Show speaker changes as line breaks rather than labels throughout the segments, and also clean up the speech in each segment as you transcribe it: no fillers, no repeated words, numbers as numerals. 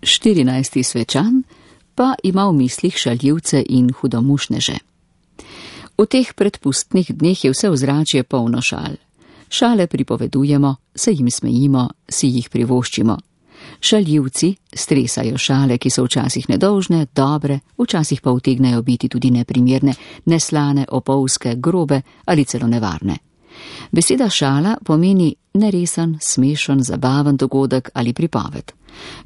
14. svečan pa ima v mislih šaljivce in hudomušneže. V teh predpustnih dneh je vse ozračje polno šal. Šale pripovedujemo, se jim smejimo, si jih privoščimo. Šaljivci stresajo šale, ki so včasih nedolžne, dobre, včasih pa utegnejo biti tudi neprimerne, neslane, opolske, grobe ali celo nevarne. Beseda šala pomeni neresen, smešen, zabaven dogodek ali pripoved.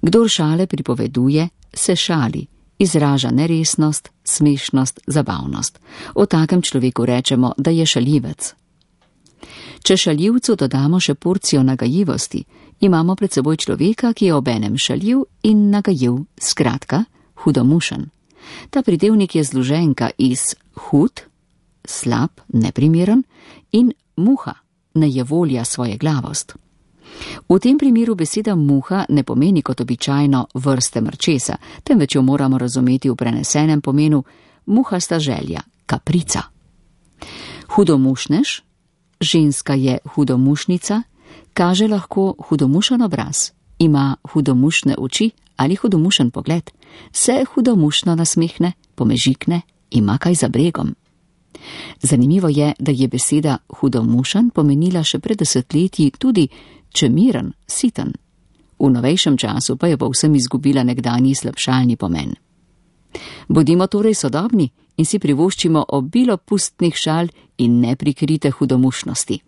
Kdor šale pripoveduje, se šali, izraža neresnost, smešnost, zabavnost. O takem človeku rečemo, da je šaljivec. Če šaljivcu dodamo še porcijo nagajivosti, imamo pred seboj človeka, ki je obenem šaljiv in nagajiv, skratka, hudomušen. Ta pridevnik je zloženka iz hud, slab, neprimeren in muha, nejevolja svojeglavost. V tem primeru beseda muha ne pomeni kot običajno vrste mrčesa, temveč jo moramo razumeti v prenesenem pomenu muhasta želja, kaprica. Hudomušnež, ženska je hudomušnica, kaže lahko hudomušen obraz, ima hudomušne oči ali hudomušen pogled, se hudomušno nasmehne, pomežikne, ima kaj za bregom. Zanimivo je, da je beseda hudomušen pomenila še pred desetletji tudi čemiren, siten. V novejšem času pa je povsem izgubila nekdanji slabšalni pomen. Bodimo torej sodobni in si privoščimo obilo pustnih šal in neprikrite hudomušnosti.